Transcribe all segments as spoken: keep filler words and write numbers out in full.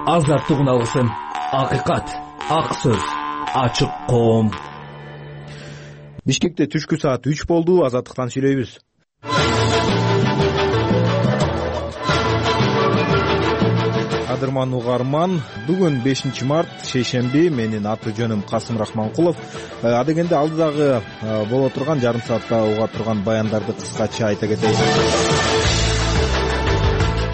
Азаттык алгысын, акыйкат, ак сөз, ачык коом. Бишкекте түшкү саат үч болду. Азаттыктан сүйлөйбүз. Кадырман угарман, бүгүн бешинчи март, шейшемби. Менин аты жөнүм Касым Рахманкулов. Адегенде алдыдагы боло турган жарым саатта уга турган баяндарды кыскача айта кетейин.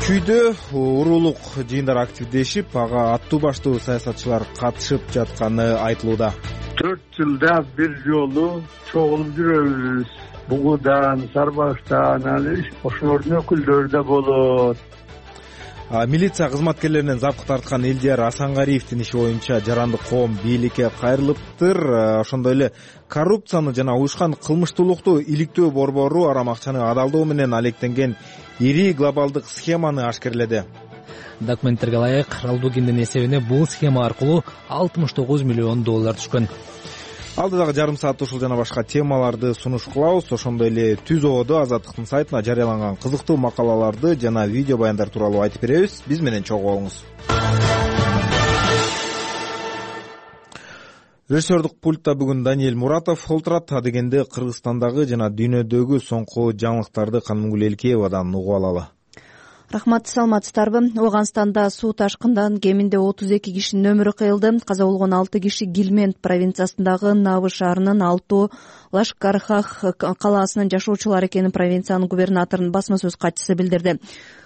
Чүйдө уруулук жыйындар активдешип, ага аттуу баштуу саясатчылар катышып жатканы айтылууда. төрт жылда бир жолу чогулуп жүрөбүз. Бугудан, Сарбаштан, аны ошолордун өкүлдөрү да болот. Милиция кызматкерлеринен запкы тарткан Элдияр Асангариевдин иши боюнча жарандык коом бийликке кайрылыптыр. Ошондой эле коррупцияны жана уюшкан кылмыштуулукту иликтөө борбору арам акчаны адалдоо менен алектенген ири глобалдык схеманы ашкерледи. Документтерге ылайык, Ралдугиндин эсебине бул схема аркылуу алтымыш тогуз миллион доллар түшкөн. Алдыдагы жарым саатта ушул жана башка темаларды сунуш кылабыз. Ошондой эле Түз ободо Азаттыктын сайтына жарыяланган кызыктуу макалаларды жана видео баяндар тууралуу айтып беребиз. Биз менен чогуу болуңуз. Режиссердук пультта бүгүн Даниэль Муратов олтурат. Адегенде Кыргызстандагы жана дүйнөдөгү соңку жаңылыктарды Канымгүл Элкеевадан угуп алалы. Рахмат, саламатсыздарбы? Ооганстанда суу ташкындан кеминде отуз эки кишинин өмүрү кыйылды. Каза болгон алты киши Гилмент провинциясындагы Навы шаарынын Алтоо Лашкархах калаасынын жашоочулары экенин провинциянын губернаторунун басма сөз катчысы билдирди.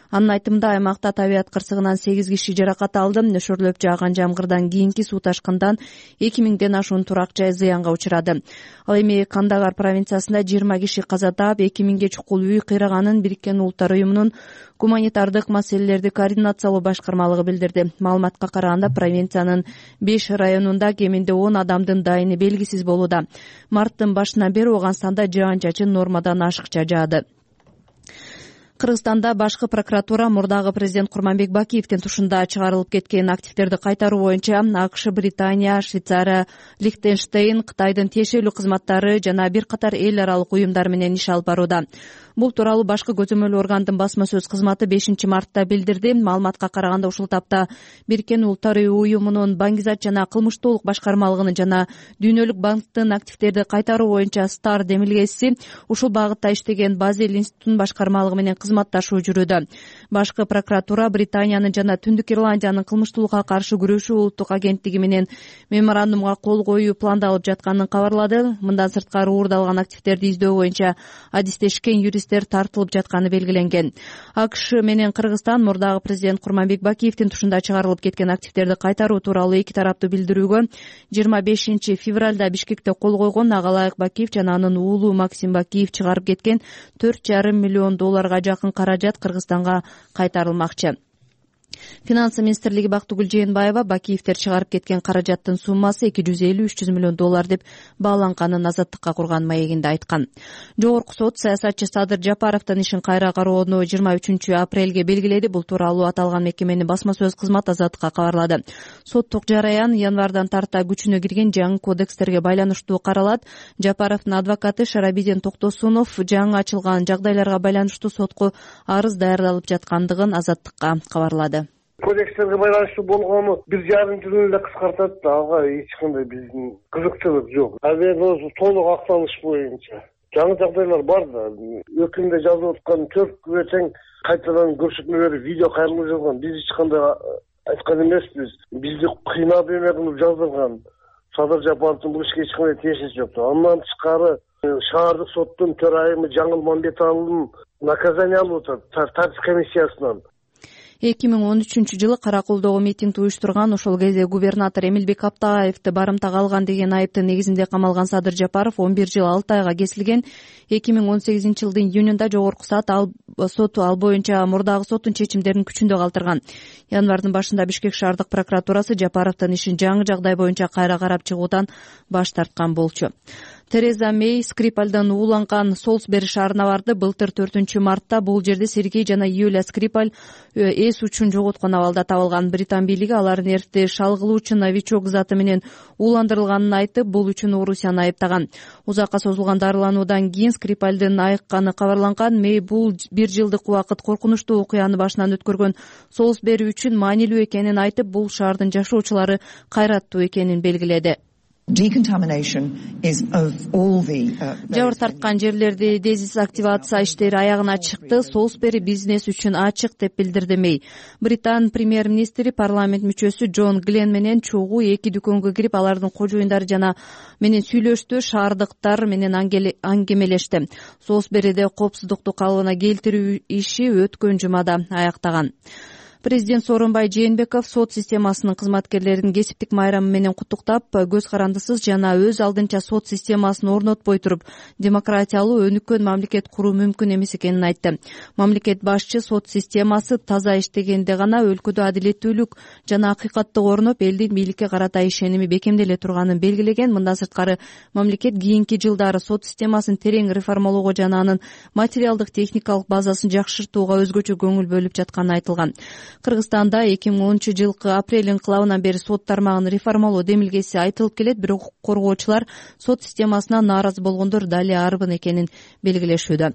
Анын айтымында аймакта табият кырсыгынан сегиз киши жаракат алды. Нөшөрлөп жааган жамгырдан кийинки суу ташкындан эки миңден ашуун турак жай зыянга учурады. Ал эми Кандагар провинциясында жыйырма киши каза таап, эки миңге чукул үй кыйраганын Бириккен Улуттар уюмунун гуманитардык маселелерди координациялоо башкармалыгы билдирди. Маалыматка караганда, провинциянын беш районунда кеминде он адамдын дайыны белгисиз болууда. Марттын башынан бери Ооганстанда жаан-чачын нормадан ашыкча жаады. Кыргызстанда башкы прокуратура мурдагы президент Курманбек Бакиевдин тушунда чыгарылып кеткен активдерди кайтаруу боюнча АКШ, Британия, Швейцария, Лихтенштейн, Кытайдын тиешелүү кызматтары жана бир катар эл аралык уюмдар менен иш алып барууда. Бул тууралуу башкы көзөмөл органдын басма сөз кызматы бешинчи мартта билдирди. Маалыматка караганда, ушул тапта Бириккен Улуттар уюмунун Баңгизат жана кылмыштуулук башкармалыгынын жана Дүйнөлүк банктын активдерди кайтаруу боюнча Стар демилгеси ушул багытта иштеген Базель институтунун башкармалыгы менен кызматташуу жүрүүдө. Башкы прокуратура Британиянын жана Түндүк Ирландиянын кылмыштуулукка каршы күрөшүү улуттук агенттиги менен меморандумга кол коюу пландалып жатканын кабарлады. Мындан сырткары уурдалган активдерди издөө боюнча адистешкен юрист тартылып жатканы белгиленген. АКШ менен Кыргызстан мурдагы президент Курманбек Бакиевдин тушунда чыгарылып кеткен активдерди кайтаруу тууралуу эки тараптуу билдирүүгө жыйырма бешинчи февралда Бишкекте кол койгон. Ага ылайык Бакиев жана анын уулу Максим Бакиев чыгарып кеткен төрт жарым миллион долларга жакын каражат Кыргызстанга кайтарылмакчы. Финансы министрлиги Бактыгүл Жээнбаева Бакиевдер чыгарып кеткен каражаттын суммасы эки жүз элүү үч жүз миллион доллар деп бааланганын Азаттыкка курган маегинде айткан. Жогорку сот саясатчы Садыр Жапаровдун ишин кайра кароону жыйырма үчүнчү апрелге белгиледи. Бул тууралуу аталган мекеменин басма сөз кызматы Азаттыкка кабарлады. Соттук жараян январдан тарта күчүнө кирген жаңы кодекстерге байланыштуу каралат. Жапаровдун адвокаты Шарабидин Токтосунов жаңы ачылган жагдайларга байланыштуу сотко арыз даярдалып жаткандыгын Азаттыкка кабарлады. Кодекстерге байланыштуу болгону бир жарым жыл эле кыскартат да, ага эч кандай биздин кызыкчылык жок. Азыр ошо толук акталыш боюнча жаңы жагдайлар бар да. Өкүмдө жазылып аткан төрт күбө тең кайтадан көрсөтмө берип видео кайрылып жазган. Биз эч кандай айткан эмеспиз. Бизди кыйнап эме кылып жаздырган. Садыр Жапаровдун бул ишке эч кандай тиешеси жок. Андан тышкары шаардык соттун төрайымы Жаңыл Мамбеталынын наказание алып атат тартип комиссиясынан. эки миң он үчүнчү жылы Караколдогу митингди уюштурган, ошол кезде губернатор Эмилбек Аптаевди барымтага алган деген айыптын негизинде камалган Садыр Жапаров он бир жыл алты айга кесилген. эки миң он сегизинчи жылдын июнунда жогорку сот ал соту ал боюнча мурдагы соттун чечимдерин күчүндө калтырган. Январдын башында Бишкек шаардык прокуратурасы Жапаровдун ишин жаңы жагдай боюнча кайра карап чыгуудан баш тарткан болчу. Тереза Мэй Скрипальдан ууланган Солсбери шаарына барды. Былтыр төртүнчү мартта бул жерде Сергей жана Юлия Скрипаль эс учун жоготкон абалда табылган. Британ бийлиги алардын эрте шалгылуучу новичок заты менен ууландырылганын айтып, бул үчүн Орусияны айыптаган. Узакка созулган дарылануудан кийин Скрипальдын айыкканы кабарланган. Мэй бул бир жылдык убакыт коркунучтуу окуяны башынан өткөргөн Солсбери үчүн маанилүү экенин айтып, бул шаардын жашоочулары кайраттуу экенин белгиледи. Жабыр тарткан жерлерди дезактивация иштери аягына чыкты. Солсбери бизнес үчүн ачык деп билдирди Мэй. Британ премьер-министри парламент мүчөсү Джон Глен менен чогуу эки дүкөнгө кирип, алардын кожоюндары жана менен сүйлөштү, шаардыктар менен аңгемелешти. Солсбериде коопсуздукту калыбына келтирүү иши өткөн жумада аяктаган. Президент Сооронбай Жээнбеков сот системасынын кызматкерлерин кесиптик майрамы менен куттуктап, көз карандысыз жана өз алдынча сот системасын орнотпой туруп, демократиялуу өнүккөн мамлекет куруу мүмкүн эмес экенин айтты. Мамлекет башчы сот системасы таза иштегенде гана өлкөдө адилеттүүлүк жана акыйкаттык орноп, элдин бийликке карата ишеними бекемделе турганын белгилеген. Мындан сырткары, мамлекет кийинки жылдары сот системасын терең реформалоого жана анын материалдык техникалык базасын жакшыртууга өзгөчө көңүл бөлүп жатканы айтылган. Кыргызстанда эки миң онунчу жылкы апрель инкылабынан бери сот тармагын реформалоо демилгеси айтылып келет, бирок укук коргоочулар сот системасына нааразы болгондор дали арбын экенин белгилешүүдө.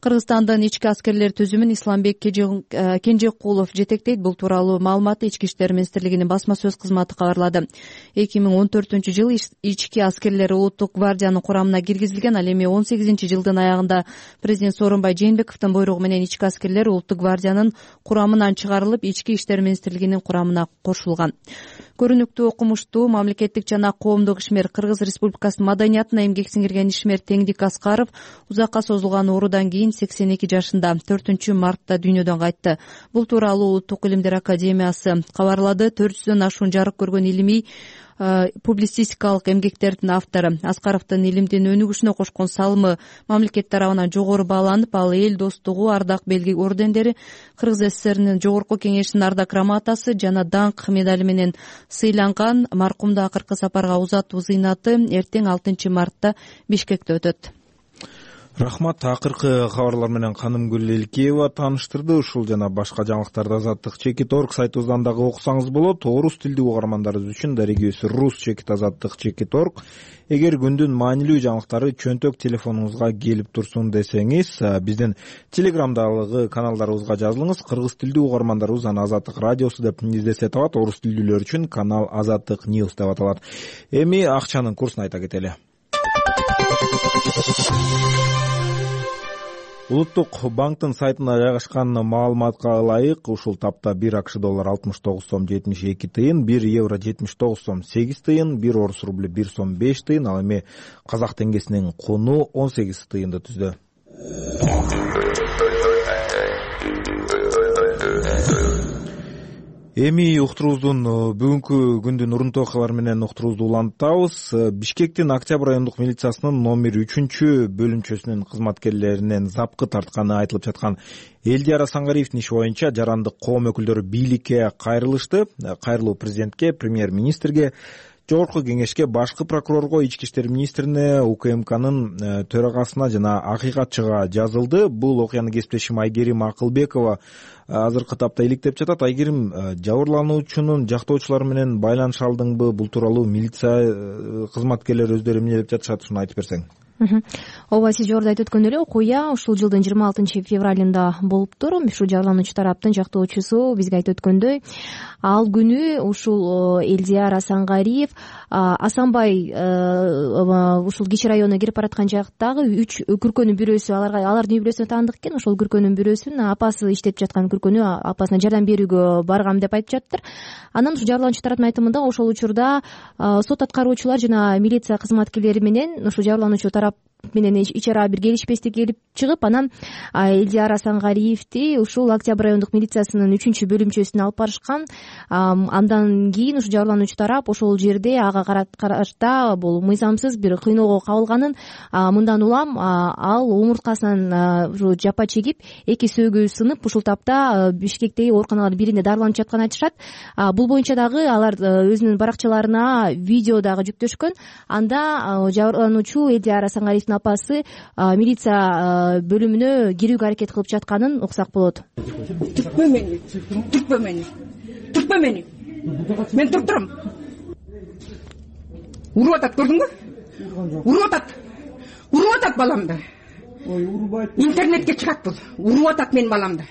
Кыргызстандын ички аскерлер түзүмүн Исламбек Кенжекулов жетектейт. Бул тууралуу маалыматты Ички иштер министрлигинин басма сөз кызматы кабарлады. эки миң он төртүнчү жылы ички аскерлер улуттук гвардиянын курамына киргизилген. Ал эми он сегизинчи жылдын аягында президент Сооронбай Жээнбековдун буйругу менен ички аскерлер улуттук гвардиянын курамынан чыгарылып, Ички иштер министрлигинин курамына кошулган. Көрүнүктүү, окумуштуу, мамлекеттик жана коомдук ишмер, Кыргыз Республикасынын маданиятына эмгек сиңирген ишмер Теңдик Аскаров узакка созулган оорудан кийин сексен эки жашында төртүнчү мартта дүйнөдөн кайтты. Бул тууралуу Улуттук илимдер академиясы кабарлады. төрт жүздөн ашуун жарык көргөн илимий публицистикалык эмгектердин автору. Аскаровдун илимдин өнүгүшүнө кошкон салымы мамлекет тарабынан жогору бааланып, ал эл достугу, ардак белги ордендери, Кыргыз ССРнин жогорку кеңешинин ардак грамотасы жана даңк медали менен сыйланган. Маркумду акыркы сапарга узатуу зыйнаты эртең алтынчы мартта Бишкекте өтөт. Рахмат. Акыркы кабарлар менен Канымгүл Элкеева тааныштырды. Ушул жана башка жаңылыктарды Азаттык чекит точка орг сайтыбыздан дагы окусаңыз болот. Орус тилдүү угармандарыбыз үчүн дарегибиз рус чекит азаттык чекит точка орг. Эгер күндүн маанилүү жаңылыктары чөнтөк телефонуңузга келип турсун десеңиз, биздин телеграмдагы каналдарыбызга жазылыңыз. Кыргыз тилдүү угармандарыбыз аны Азаттык радиосу деп издесе табат. Орус тилдүүлөр үчүн канал Азаттык News деп аталат. Эми акчанын курсун айта кетели. Улуттук банктын сайтына жайгашкан маалыматка ылайык, ушул тапта бир АКШ доллар алтымыш тогуз сом жетимиш эки тыйын, бир евро жетимиш тогуз сом сегиз тыйын, бир орус рубль бир сом беш тыйын, ал эми казак теңгесинин куну он сегиз тыйынды түздү. Эми уктурубуздун бүгүнкү күндүн урунтуу окуялары менен уктурубузду улантабыз. Бишкектин Октябрь райондук милициясынын номер үчүнчү бөлүмчөсүнүн кызматкерлеринен запкы тартканы айтылып жаткан Элдияр Асангариевдин иши боюнча жарандык коом өкүлдөрү бийликке кайрылышты. Кайрылуу президентке, премьер-министрге, Жогорку кеңешке, башкы прокурорго, ички иштер министрине, УКМКнын төрагасына жана акыйкатчыга жазылды. Бул окуяны кесиптешим Айгерим Акылбекова азыркы тапта иликтеп жатат. Айгерим, жабырлануучунун жактоочулары менен байланыш алдыңбы? Бул тууралуу милиция кызматкерлери өздөрү эмне деп жатышат, ушуну айтып берсең. Ооба, сиз жогоруда айтып өткөндөй эле окуя ушул жылдын жыйырма алтынчы февралында болуптур. Ушул жабырлануучу тараптын жактоочусу бизге айтып өткөндөй, ал күнү ушул Элдияр Асангариев Асанбай ушул Кичи районуна кирип бараткан жактагы үч күркөнүн бирөөсү, аларга алардын үй бүлөсүнө таандык экен. Ошол күркөнүн бирөөсүн апасы иштеп жаткан күркөнү апасына жардам берүүгө баргам деп айтып жаттыр. Анан ушул жабырлануучу тараттын айтымында ошол учурда сот аткаруучулар жана милиция кызматкерлери менен ушул жабырлануучу тарап менен ич ара бир келишпестик келип чыгып, анан Элдияр Асангариевди ушул Октябрь райондук милициясынын үчүнчү бөлүмчөсүнө алып барышкан. Андан кийин ушу жабырлануучу тарап ошол жерде ага карата бул мыйзамсыз бир кыйноого кабылганын, мындан улам ал омурткасынан ушу жапа чегип, эки сөөгү сынып, ушул тапта Бишкектеги ооруканалардын биринде дарыланып жатканын айтышат. Бул боюнча дагы алар өзүнүн баракчаларына видео дагы жүктөшкөн. Анда жабырлануучу Элдияр Асангариевдин апасы милиция бөлүмүнө кирүүгө аракет кылып жатканын уксак болот. Түртпө мени, түртпө мени, түртпө мени. Мен туртурам. Уруп атат, көрдүңбү? Уруп атат. Уруп атат баламды. Ой, урубайт. Интернетке чыгат бул. Уруп атат менин баламды.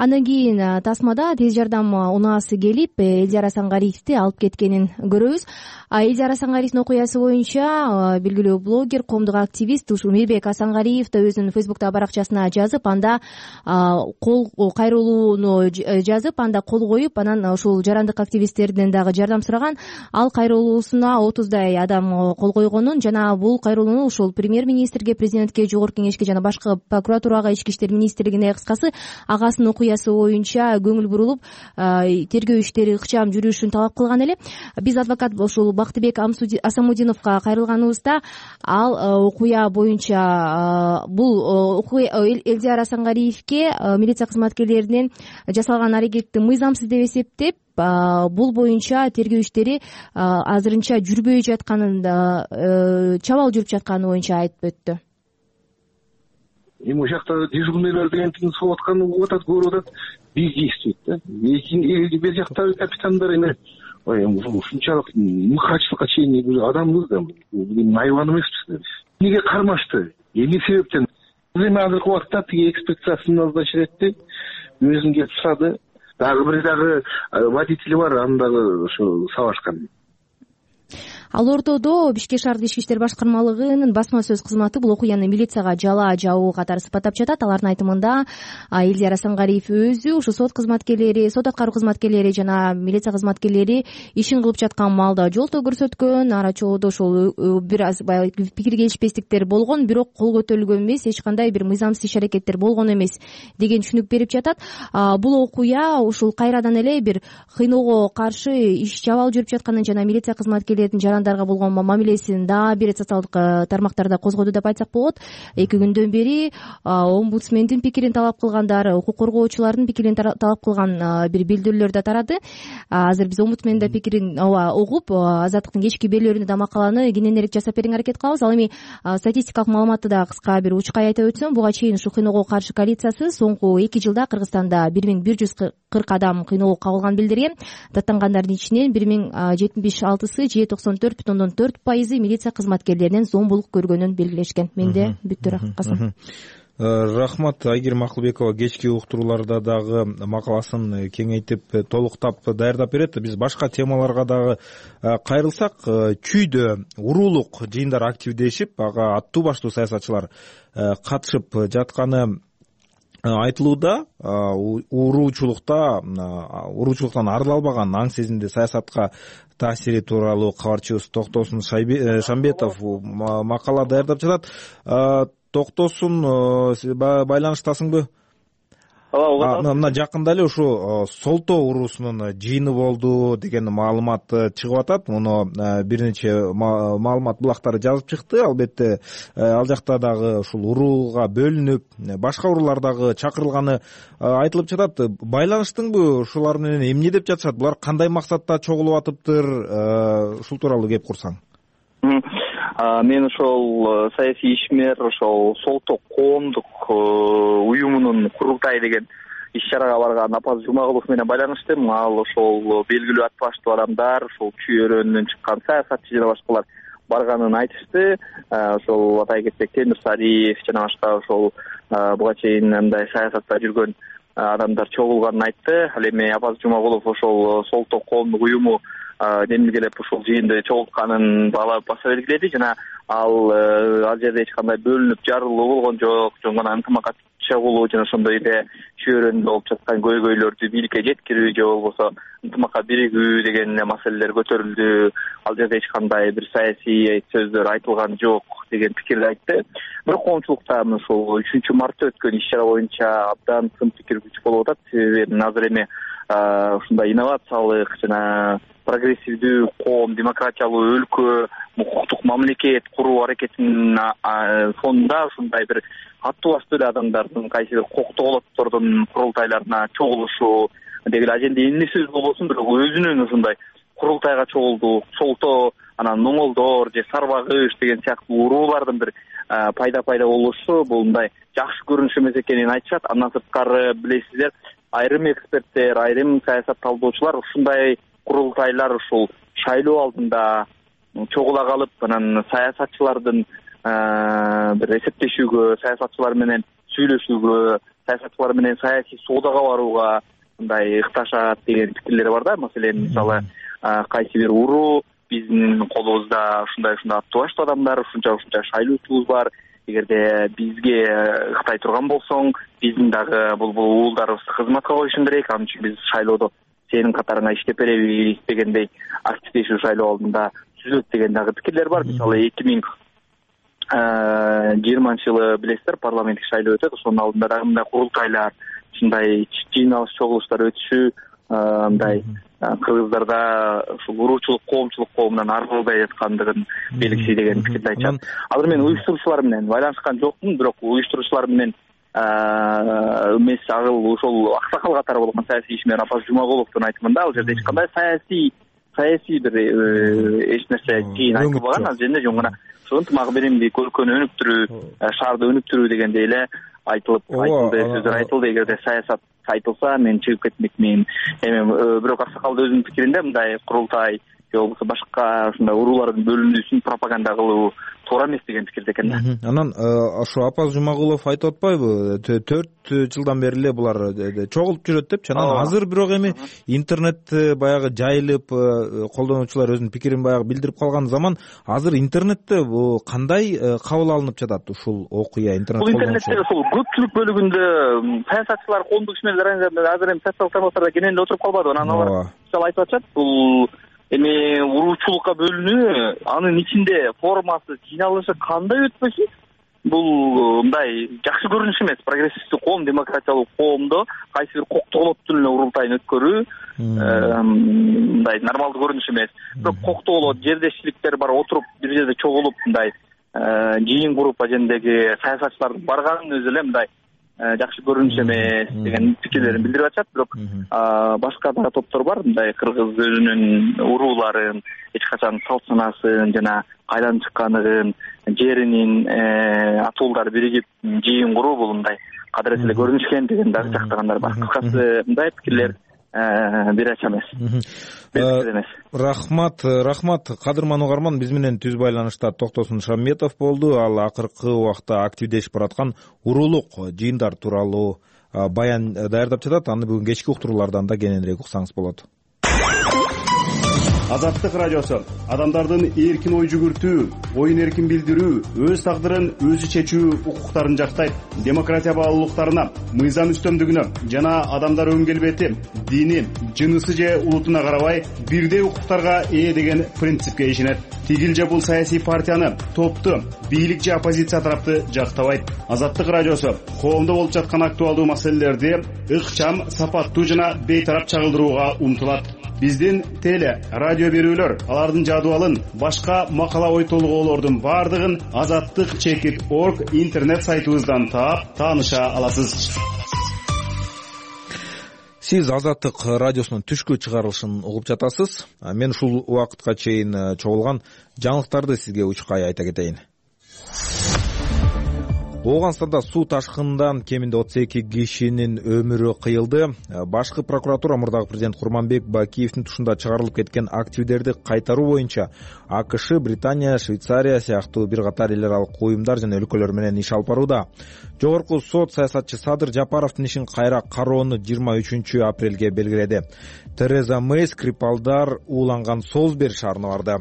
Андан кийин тасмада тез жардам унаасы келип, Элдияр Асангариевди алып кеткенин көрөбүз. Элдияр Асангариевдин окуясы боюнча белгилүү блогер, коомдук активист ушу Мирбек Асангариев да өзүнүн Фейсбуктагы баракчасына жазып, анда кол кайрылууну жазып, анда кол коюп, анан ушул жарандык активисттерден дагы жардам сураган. Ал кайрылуусуна отуздай адам кол койгонун жана бул кайрылууну ушул премьер-министрге, президентке, жогорку кеңешке жана башкы прокуратурага, ички иштер министрлигине, кыскасы агасынын окуясы боюнча көңүл бурулуп, тергөө иштери ыкчам жүрүшүн талап кылган эле. Биз адвокат ушул Бактыбек Асамудиновго кайрылганыбызда ал окуя боюнча бул Элдияр Асангариевге милиция кызматкерлеринин жасалган аракетти мыйзамсыз деп эсептеп, бул боюнча тергөө иштери азырынча жүрбөй жатканын, чабал жүрүп жатканы боюнча айтып өттү. Эми ошол жакта дежурныйлар деген тиң согуп атканы угуп атат, көрүп атат, биз дейбиз да. Эки бер жактагы капитандар эми ушунчалык мыкаачылыкка чейин адамбыз да, айбан эмеспиз да биз. Эмнеге кармашты? Эмне себептен? Эми азыркы убакытта тиги экспедициясын назначить этти, өзүн келип сурады. Дагы бир дагы водители бар, аны дагы ошо сабашкан. Ал ортодо Бишкек шаардык ички иштер башкармалыгынын басма сөз кызматы бул окуяны милицияга жала жабуу катары сыпаттап жатат. Алардын айтымында Элдияр Асангариев өзү ушу сот кызматкерлери, сот аткаруу кызматкерлери жана милиция кызматкерлери ишин кылып жаткан маалда жолтоо көрсөткөн, ара чоодо ошол бир аз баягы пикир келишпестиктер болгон, бирок кол көтөрүлгөн эмес, эч кандай бир мыйзамсыз иш аракеттер болгон эмес деген түшүнүк берип жатат. Бул окуя ушул кайрадан эле бир кыйноого каршы иш чабал жүрүп жатканын жана милиция кызматкерлеринин болгон мамилесин дагы бир социалдык тармактарда козгоду деп айтсак болот. Эки күндөн бери омбудсмендин пикирин талап кылгандар, укук коргоочулардын пикирин талап кылган бир билдирүүлөр да тарады. Азыр биз омбудсмендин пикирин угуп, Азаттыктын кечки берүүлөрүндө да макаланы кененирээк жасап берүүгө аракет кылабыз. Ал эми статистикалык маалыматты да кыска бир учкай айтып өтсөм, буга чейин ушу кыйноого каршы коалициясы соңку эки жылда Кыргызстанда бир миң бир жүз кырк адам кыйноого кабылганын билдирген. Даттангандардын ичинен бир миң жетимиш алтысы же токсон төрт бүтүн ондон төрт пайызы милиция кызматкерлеринин зомбулук көргөнүн белгилешкен. Менде бүттү. Касым. Рахмат. Айгерим Акылбекова кечки уктурууларда дагы макаласын кеңейтип, толуктап даярдап берет. Биз башка темаларга дагы кайрылсак, чүйдө уруулук жыйындар активдешип, ага аттуу баштуу саясатчылар катышып жатканы айтылууда. Уруучулукта уруучулуктан арыла албаган аң сезимди саясатка таасири тууралуу кабарчыбыз Токтосун Шамбетов макала даярдап жатат. Токтосун, байланыштасыңбы? Ооба. Мына жакында эле ушу Солтоо уруусунун жыйыны болду деген маалымат чыгып атат. Муну бир нече маалымат булактары жазып чыкты. Албетте ал жакта дагы ушул урууга бөлүнүп, башка уруулар дагы чакырылганы айтылып жатат. Байланыштыңбы ушулар менен? Эмне деп жатышат? Булар кандай максатта чогулуп атыптыр? Ушул тууралуу кеп курсаң. Мен ошол саясий ишмер, ошол Солтоо коомдук уюмунун курултайы деген иш чарага барган Апаз Жумагулов менен байланыштым. Ал ошол белгилүү ат баштуу адамдар, ошол чүй өрөөнүнөн чыккан саясатчы жана башкалар барганын айтышты. Ошол атай кетсек Темир Сариев жана башка ошол буга чейин мындай саясатта жүргөн адамдар чогулганын айтты. Ал эми Апаз Жумагулов ошол Солтоо коомдук уюму демилгелеп ушул жыйынды чогултканын баса белгиледи жана ал ал жерде эч кандай бөлүнүп жарылуу болгон жок, жөн гана ынтымакатчы чогулуу жана ошондой эле чөйрөндө болуп жаткан көйгөйлөрдү бийликке жеткирүү же болбосо ынтымакка биригүү деген эле маселелер көтөрүлдү. Ал жерде эч кандай бир саясий сөздөр айтылган жок деген пикирди айтты. Бирок коомчулукта ушул үчүнчү мартта өткөн иш чара боюнча абдан сын пикир күчүп болуп атат. Себеби азыр эми ушундай инновациялык жана прогрессивдүү коом, демократиялуу өлкө, укуктук мамлекет куруу аракетинин фонунда ушундай бир аттуу астуу эле адамдардын кайсы бир коктоголоттордун курултайларына чогулушу деги эле аженде эмне сөз болбосун, бирок өзүнүн ушундай курултайга чогулдук, солто, анан моңолдор же сарбагыш деген сыяктуу уруулардын бир пайда пайда болушу бул мындай жакшы көрүнүш эмес экенин айтышат. Андан сырткары билесиздер, айрым эксперттер, айрым саясат талдоочулар ушундай курултайлар ушул шайлоо алдында чогула калып, анан саясатчылардын бир эсептешүүгө, саясатчылар менен сүйлөшүүгө, саясатчылар менен саясий соодага барууга мындай ыкташат деген пикирлер бар да. Маселен, мисалы, кайсы бир уруу биздин колубузда ушундай ушундай аттуу баштуу адамдар, ушунча ушунча шайлоочубуз бар. Эгерде бизге ыктай турган болсоң, биздин дагы бул бул уулдарыбызды кызматка коюшуң керек. Ал үчүн биз шайлоодо сенин катарыңа иштеп беребиз дегендей активдешүү шайлоо алдында түзөт деген дагы пикирлер бар. Мисалы, эки миң жыйырманчы жылы билесиздер, парламенттик шайлоо өтөт. Ошонун алдында дагы мындай курултайлар, ушундай жыйналыш чогулуштар өтүшү мындай кыргыздарда ушул уруучулук, коомчулук коомунан арылбай жаткандыгын белгиси деген пикирди айтышат. Азыр мен уюштуруучулар менен байланышкан жокмун, бирок уюштуруучулар менен эмес агыл ошол аксакал катары болгон саясий ишмер Апаз Жумагуловдун айтымында ал жерде эч кандай саясий саясий бир эч нерсе чейин айтылбаган. Ал жерде жөн гана ушул ынтымак биримдик, өлкөнү өнүктүрүү, шаарды өнүктүрүү дегендей эле айтылып айтылды, сөздөр айтылды. Эгерде саясат айтылса, мен чыгып кетмекмин. Эми бирок аксакал өзүнүн пикиринде мындай курултай же болбосо башка ушундай уруулардын бөлүнүүсүн пропаганда кылуу туура эмес деген пикирде экен да. Анан ошо Апаз Жумагулов айтып атпайбы, төрт жылдан бери эле булар чогулуп жүрөт депчи. Анан азыр бирок эми интернет баягы жайылып, колдонуучулар өзүнүн пикирин баягы билдирип калган заман, азыр интернетте кандай кабыл алынып жатат ушул окуя? Интернет бул интернетте ушул көпчүлүк бөлүгүндө саясатчылар, коомдук ишмерлер азыр эми социалдык тармактарда кенен эле отуруп калбады. Анан алар мисалы айтып атышат, бул эми уруучулукка бөлүнүү, анын ичинде формасы, жыйналышы кандай өтпөсүн, бул мындай жакшы көрүнүш эмес. Прогрессивдүү коом, демократиялуу коомдо кайсы бир коктоголоттун эле урултайын өткөрүү мындай нормалдуу көрүнүш эмес. Бирок коктоголот, жердешчиликтер бар, отуруп бир жерде чогулуп мындай жыйын куруп ажендеги саясатчылардын барганын өзү эле мындай жакшы көрүнүш эмес деген пикирлерин билдирип атышат. Бирок башка да топтор бар, мындай кыргыз өзүнүн урууларын, эч качан салт санасын жана кайдан чыккандыгын, жеринин атуулдары биригип жыйын куруу бул мындай кадырет эле көрүнүш экен деген дагы жактагандар бар. Кыскасы мындай пикирлер бир ача эмес. Рахмат, рахмат кадырман угарман. Биз менен түз байланышта Токтосун Шамметов болду. Ал акыркы убакта активдешип бараткан уруулук жыйындар тууралуу баян даярдап жатат. Аны бүгүн кечки уктуруулардан да кененирээк уксаңыз болот. Азаттык радиосу адамдардын эркин ой жүгүртүү, оюн эркин билдирүү, өз тагдырын өзү чечүү укуктарын жактайт. Демократия баалуулуктарына, мыйзам үстөмдүгүнө жана адамдар өң келбети, дини, жынысы же улутуна карабай бирдей укуктарга ээ деген принципке ишенет. Тигил же бул саясий партияны, топту, бийлик же оппозиция тарапты жактабайт. Азаттык радиосу коомдо болуп жаткан актуалдуу маселелерди ыкчам, сапаттуу жана бейтарап чагылдырууга умтулат. Биздин теле, радио берүүлөр, алардын жадыбалын, башка макала ой толгоолордун бардыгын азаттык чекит точка орг интернет сайтыбыздан таап, тааныша аласыз. Сиз Азаттык радиосунун түшкү чыгарылышын угуп жатасыз. Мен ушул убакытка чейин чогулган жаңылыктарды сизге учкай айта кетейин. Ооганстанда суу ташкынынан кеминде отуз эки кишинин өмүрү кыйылды. Башкы прокуратура мурдагы президент Курманбек Бакиевдин тушунда чыгарылып кеткен активдерди кайтаруу боюнча АКШ, Британия, Швейцария сыяктуу бир катар эл аралык уюмдар жана өлкөлөр менен иш алып барууда. Жогорку сот саясатчы Садыр Жапаровдун ишин кайра кароону жыйырма үчүнчү апрелге белгиледи. Тереза Мэй Скрипалдар ууланган Солсбери шаарына барды.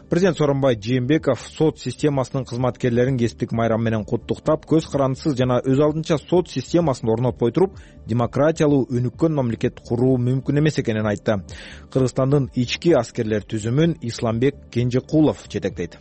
Президент Сооронбай Жээнбеков сот системасынын кызматкерлерин кесиптик майрам менен куттуктап, көз карандысыз жана өз алдынча сот системасын орнотпой туруп, демократиялуу өнүккөн мамлекет куруу мүмкүн эмес экенин айтты. Кыргызстандын ички аскерлер түзүмүн Исламбек Кенжекулов жетектейт.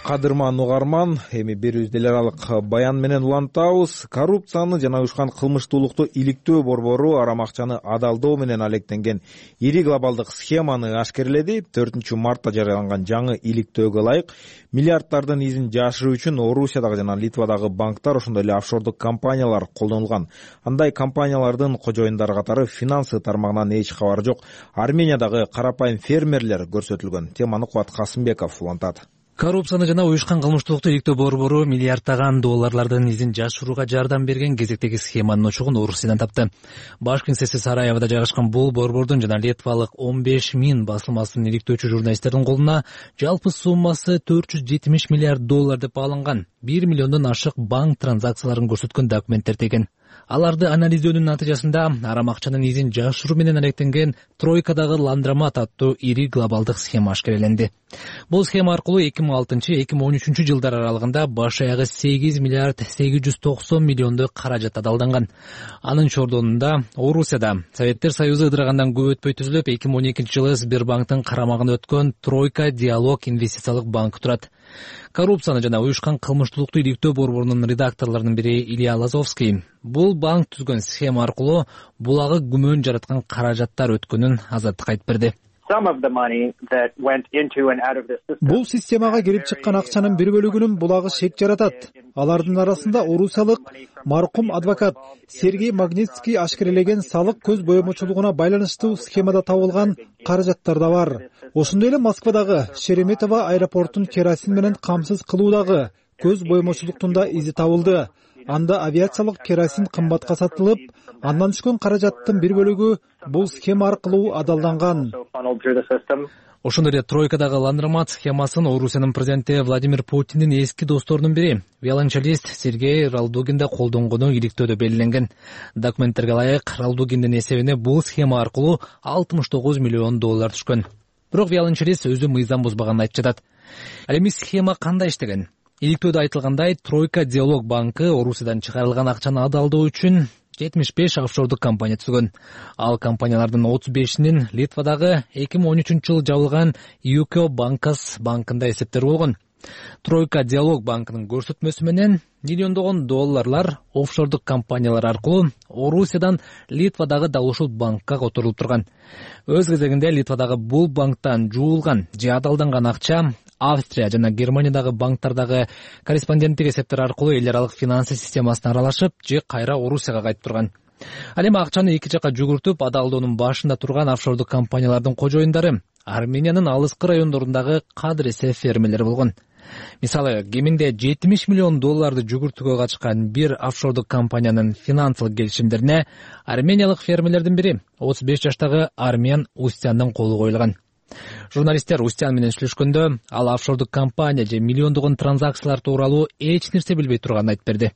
Кадырман угарман, эми берүүбүздү эл аралык баян менен улантабыз. Коррупцияны жана уюшкан кылмыштуулукту иликтөө борбору арам акчаны адалдоо менен алектенген ири глобалдык схеманы ашкерледи. төртүнчү мартта жарыяланган жаңы иликтөөгө ылайык миллиарддардын изин жашыруу үчүн Орусиядагы жана Литвадагы банктар, ошондой эле офшордук компаниялар колдонулган. Андай компаниялардын кожоюндары катары финансы тармагынан эч кабары жок Армениядагы карапайым фермерлер көрсөтүлгөн. Теманы Кубат Касымбеков улантат. Коррупцияны жана уюшкан кылмыштуулукту иликтөө борбору миллиарддаган долларлардын изин жашырууга жардам берген кезектеги схеманын очогун Орусиядан тапты. Баш кеңсеси Сараевода жайгашкан бул борбордун жана литвалык он беш миң басылмасын иликтөөчү журналисттердин колуна жалпы суммасы төрт жүз жетимиш миллиард доллар деп бааланган бир миллиондон ашык банк транзакцияларын көрсөткөн документтер деген. Аларды анализдөөнүн натыйжасында арам акчанын изин жашыруу менен алектенген тройкадагы ландромат аттуу ири глобалдык схема ашкереленди. Бул схема аркылуу эки миң алтынчы эки миң он үчүнчү жылдар аралыгында баш аягы сегиз миллиард сегиз жүз токсон миллиондой каражат адалданган. Анын чордонунда Орусияда Советтер Союзу ыдырагандан көп өтпөй түзүлүп, эки миң он экинчи жылы Сбербанктын карамагына өткөн Тройка Диалог инвестициялык банк турат. Коррупцияны жана уюшкан кылмыштуулукту иликтөө борборунун редакторлорунун бири Илья Лазовский бул банк түзгөн схема аркылуу булагы күмөн жараткан каражаттар өткөнүн азаттыкка айтып берди. Бул системага кирип чыккан акчанын бир бөлүгүнүн булагы шек жаратат. Алардын арасында орусиялык маркум адвокат Сергей Магнитский ашкерелеген салык көз боемочулугуна байланыштуу схемада табылган каражаттар да бар. Ошондой эле Москвадагы Шереметово аэропортун керосин менен камсыз кылуудагы көз боемочулуктун да изи табылды. Анда авиациялык керосин кымбатка сатылып, андан түшкөн каражаттын бир бөлүгү бул схема аркылуу адалданган. Ошондой эле тройкадагы ландромат схемасын Орусиянын президенти Владимир Путиндин эски досторунун бири, виолончелист Сергей Ралдугин да колдонгону иликтөөдө белгиленген. Документтерге ылайык, Ралдугиндин эсебине бул схема аркылуу алтымыш тогуз миллион доллар түшкөн. Бирок виолончелист өзү мыйзам бузбаганын айтып жатат. Ал эми схема кандай иштеген? Иликтөөдө айтылгандай, Тройка Диалог банкы Орусиядан чыгарылган акчаны адалдоо үчүн жетимиш беш офшордук компания түзгөн. Ал компаниялардын отуз бешинин Литвадагы эки миң он үчүнчү жылы жабылган ю кей Банкас банкында эсептери болгон. Тройка Диалог банкынын көрсөтмөсү менен миллиондогон долларлар офшордук компаниялар аркылуу Орусиядан Литвадагы дал ушул банкка которулуп турган. Өз кезегинде Литвадагы бул банктан жуулган же адалданган акча Австрия жана Германиядагы банктардагы корреспонденттик эсептер аркылуу эл аралык финансы системасына аралашып, же кайра Орусияга кайтып турган. Ал эми акчаны эки жакка жүгүртүп, адалдоонун башында турган офшордук компаниялардын кожоюндары Армениянын алыскы райондорундагы кадыресе фермерлер болгон. Мисалы, кеминде жетимиш миллион долларды жүгүртүүгө катышкан бир офшордук компаниянын финансылык келишимдерине армениялык фермерлердин бири отуз беш жаштагы Армян Устяндын колу коюлган. Журналисттер Устян менен сүйлөшкөндө, ал офшордук компания же миллиондогон транзакциялар тууралуу эч нерсе билбей турганын айтып берди.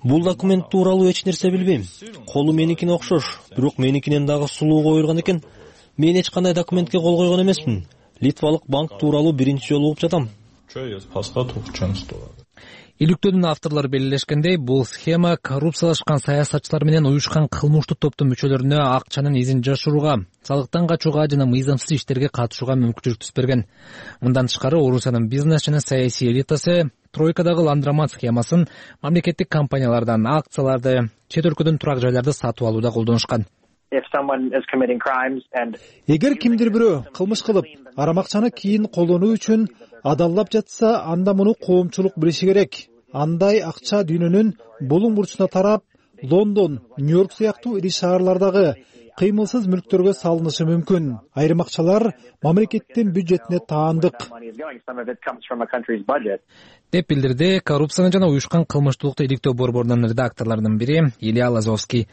Бул документ тууралуу эч нерсе билбейм. Колу меникине окшош, бирок меникинен дагы сулуу коюлган экен. Мен эч кандай документке кол койгон эмесмин. Литвалык банк тууралуу биринчи жолу угуп жатам. Иликтөөнүн авторлору белгилешкендей, бул схема коррупциялашкан саясатчылар менен уюшкан кылмыштуу топтун мүчөлөрүнө акчанын изин жашырууга, салыктан качууга жана мыйзамсыз иштерге катышууга мүмкүнчүлүк түз берген. Мындан тышкары Орусиянын бизнес жана саясий элитасы Тройкадагы ландромат схемасын мамлекеттик компаниялардан акцияларды, чет өлкөдөн турак жайларды сатып алууда колдонушкан. Эгер кимдир бирөө кылмыш кылып, арам акчаны кийин колдонуу үчүн адаллап жатса, анда муну коомчулук билиши керек. Андай акча дүйнөнүн булуң бурчуна тарап, Лондон, Нью-Йорк сыяктуу ири шаарлардагы кыймылсыз мүлктөргө салынышы мүмкүн. Айрым акчалар мамлекеттин бюджетине таандык деп билдирди коррупцияны жана уюшкан кылмыштуулукту иликтөө борборунун редакторлорунун бири Илья Лазовский.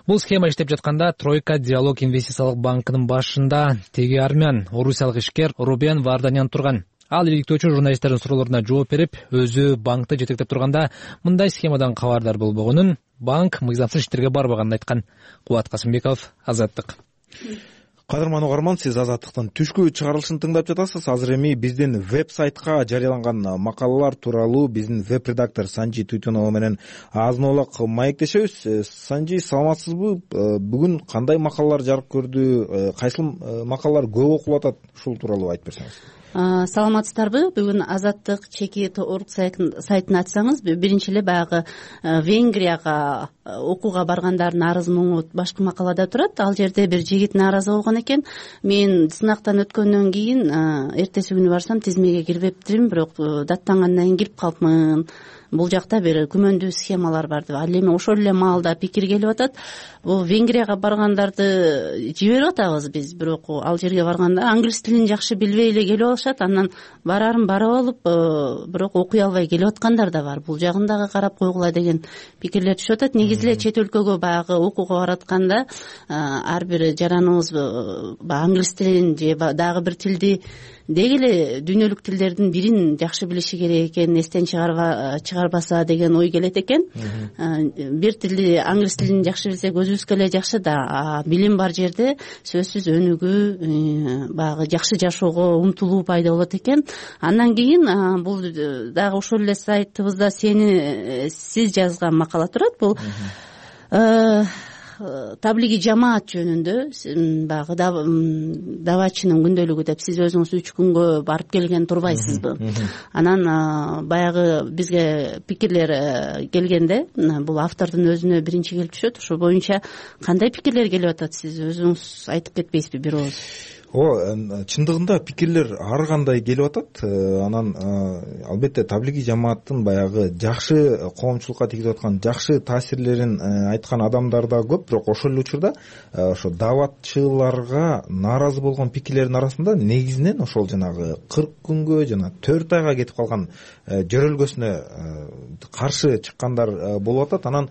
Бул схема иштеп жатканда Тройка Диалог инвестициялык банкынын башында теги армян, орусиялык ишкер Рубен Варданян турган. Ал иликтөөчү журналисттердин суроолоруна жооп берип, өзү банкты жетектеп турганда мындай схемадан кабардар болбогонун, банк мыйзамсыз иштерге барбаганын айткан. Кубат Касымбеков, Азаттык. Кадырман угарман, сиз Азаттыктын түшкү чыгарылышын тыңдап жатасыз. Азыр эми биздин веб-сайтка жарыяланган макалалар тууралуу биздин веб-редактор Санжи Туйтунова менен азын оолак маектешебиз. Санжи, саламатсызбы? Бүгүн кандай макалалар жарык көрдү? Кайсыл макалалар көп окулуп атат? Ушул тууралуу айтып берсеңиз. Саламатсыздарбы? Бүгүн Азаттык чеки орг сайтын ачсаңыз, биринчи эле баягы Венгрияга окууга баргандардын арыз муңу башкы макалада турат. Ал жерде бир жигит нааразы болгон экен. Мен сынактан өткөндөн кийин эртеси күнү барсам тизмеге кирбептирим, бирок даттангандан кийин кирип калыпмын. Бул жакта бир күмөндүү схемалар бар деп. Ал эми ошол эле маалда пикир келип атат. Бул Венгрияга баргандарды жиберип атабыз биз, бирок ал жерге барганда англис тилин жакшы билбей эле келип алышат. Андан барарын барып алып, бирок окуй албай келип аткандар да бар. Бул жагын дагы карап койгула деген пикирлер түшүп атат. Негизи эле чет өлкөгө баягы окууга баратканда ар бир жараныбыз англис тилин же дагы бир тилди деги эле дүйнөлүк тилдердин бирин жакшы билиши керек экен, эстен чыгарбаса деген ой келет экен. Бир тилди, англис тилин жакшы билсек өзүбүзгө эле жакшы да, билим бар жерде сөзсүз өнүгүү, баягы жакшы жашоого умтулуу пайда болот экен. Андан кийин бул дагы ошол эле сайтыбызда сени сиз жазган макала турат. Бул таблиги жамаат жөнүндө, баягы давачынын күндөлүгү деп, сиз өзүңүз үч күнгө барып келген турбайсызбы? Анан баягы бизге пикирлер келгенде, бул автордун өзүнө биринчи келип түшөт. Ошол боюнча кандай пикирлер келип атат, сиз өзүңүз айтып кетпейсизби бир ооз? Ооба, чындыгында пикирлер ар кандай келип атат. Анан албетте таблиги жамааттын баягы жакшы коомчулукка тийгизип аткан жакшы таасирлерин айткан адамдар да көп, бирок ошол эле учурда ошо даватчыларга нааразы болгон пикирлердин арасында негизинен ошол жанагы кырк күнгө жана төрт айга кетип калган жөрөлгөсүнө каршы чыккандар болуп атат. Анан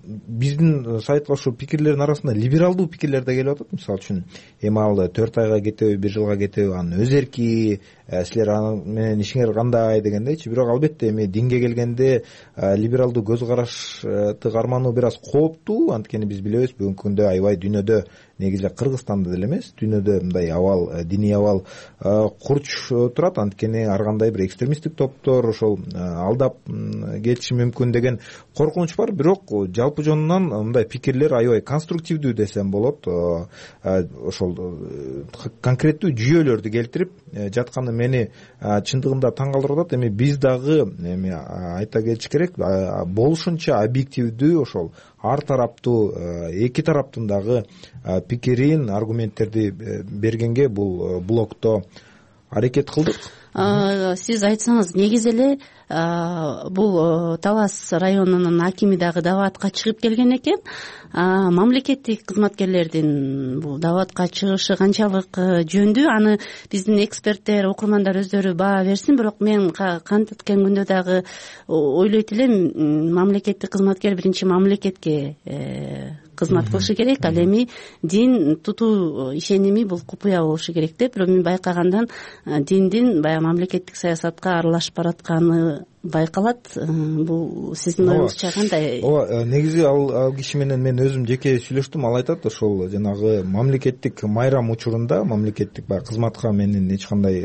биздин сайтка ошо пикирлердин арасында либералдуу пикирлер да келип атат. Мисалы үчүн, эми ал төрт айга кетеби, бир жылга кетеби, анын өз эрки, силер аны менен ишиңер кандай дегендейчи. Бирок албетте эми динге келгенде либералдуу көз карашты кармануу бир аз кооптуу. Анткени биз билебиз, бүгүнкү күндө аябай дүйнөдө, негизи эле Кыргызстанда деле эмес, дүйнөдө мындай абал, диний абал курч турат. Анткени ар кандай бир экстремисттик топтор ошол алдап кетиши мүмкүн деген коркунуч бар. Бирок жалпы жонунан мындай пикирлер аябай конструктивдүү десем болот. Ошол конкреттүү жүйөлөрдү келтирип жатканы мени чындыгында таң калтырып атат. Эми биз дагы эми айта кетиш керек, болушунча объективдүү, ошол ар тараптуу, эки тараптын дагы пикирин, аргументтерди бергенге бул блогто аракет кылдык. Сиз айтсаңыз, негизи эле бул Талас районунун акими дагы даватка чыгып келген экен. Мамлекеттик кызматкерлердин бул даватка чыгышы канчалык жөндүү, аны биздин эксперттер, окурмандар өздөрү баа берсин. Бирок мен кантип өткөн күндө дагы ойлойт элем, мамлекеттик кызматкер биринчи мамлекетке кызмат кылышы керек. Ал эми дин тутуу ишеними бул купуя болушу керек деп, бирок мен байкагандан диндин баягы мамлекеттик саясатка аралашып баратканы байкалат. Бул сиздин оюңузча кандай? Ооба, негизи ал киши менен мен өзүм жеке сүйлөштүм. Ал айтат, ошол жанагы мамлекеттик майрам учурунда, мамлекеттик баягы кызматка менин эч кандай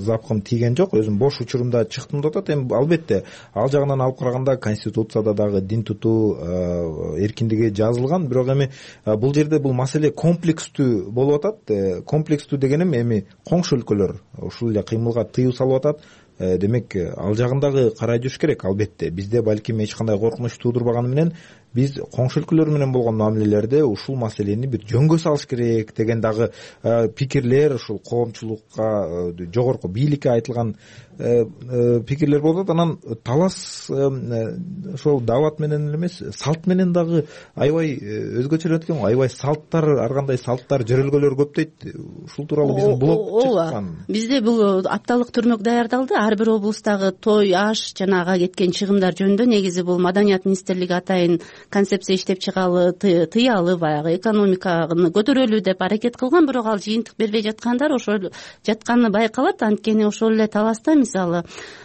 запкым тийген жок. Өзүм бош учурумда чыктым деп атат. Эми албетте ал жагынан алып караганда конституцияда дагы дин тутуу эркиндиги жазылган. Бирок эми бул жерде бул маселе комплекстүү болуп атат. Комплекстүү дегеним эми коңшу өлкөлөр ушул эле кыймылга тыюу салып атат. Демек, ал жагындагы карай жүрүш керек. Албетте бизде балким эч кандай коркунуч туудурбаганы менен биз коңшу өлкөлөр менен болгон мамилелерде ушул маселени бир жөнгө салыш керек деген дагы пикирлер ушул коомчулукка, жогорку бийликке айтылган пикирлер болуп атат. Анан талас ошол даават менен эле эмес, салт менен дагы аябай өзгөчөлөп экен го. Аябай салттар, ар кандай салттар, жөрөлгөлөр көп дейт. Ушул тууралуу биздин блог чыккан. Бизде бул апталык түрмөк даярдалды. Ар бир облустагы той, аш жана ага кеткен чыгымдар жөнүндө негизи бул Маданият министрлиги атайын концепция иштеп чыгалы, тыялы, баягы экономиканы көтөрөлү деп аракет кылган, бирок ал жыйынтык бербей жаткандар ошол жатканы байкалат. Анткени ошол эле таласта мисалы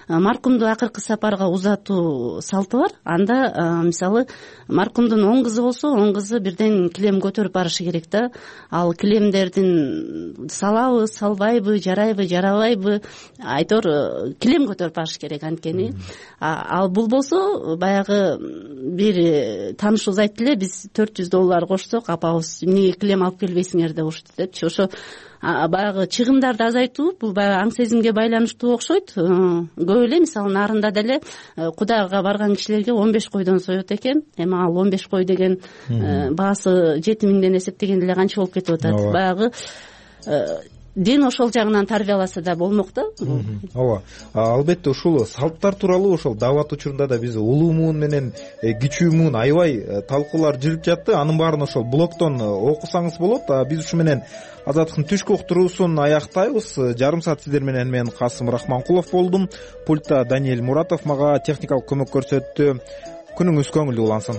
маркумду акыркы сапарга узатуу салты бар. Анда мисалы маркумдун он кызы болсо, он кызы бирден килем көтөрүп барышы керек да. Ал килемдердин салабы, салбайбы, жарайбы, жарабайбы, айтор килем көтөрүп барыш керек. Анткени ал бул болсо баягы бир таанышыбыз айтты эле, биз төрт жүз доллар кошсок апабыз эмнеге килем алып келбейсиңер деп урушту депчи. Ошо баягы чыгымдарды азайтуу бул баягы аң сезимге байланыштуу окшойт. Көп эле мисалы нарында деле Кудайга барган кишилерге он беш койдон соет экен. Эми ал он беш кой деген баасы жети миңден эсептегенде эле канча болуп кетип атат. Баягы дин ошол жагынан тарбияласа да болмок да. Ооба, албетте ушул салттар тууралуу ошол даават учурунда да биз улуу муун менен кичүү муун аябай талкуулар жүрүп жатты. Анын баарын ошол блогтон окусаңыз болот. Биз ушу менен Азаттыктын түшкү уктуруусун аяктайбыз. Жарым саат сиздер менен мен Касым Рахманкулов болдум. Пультта Даниэль Муратов мага техникалык көмөк көрсөттү. Күнүңүз көңүлдүү улансын.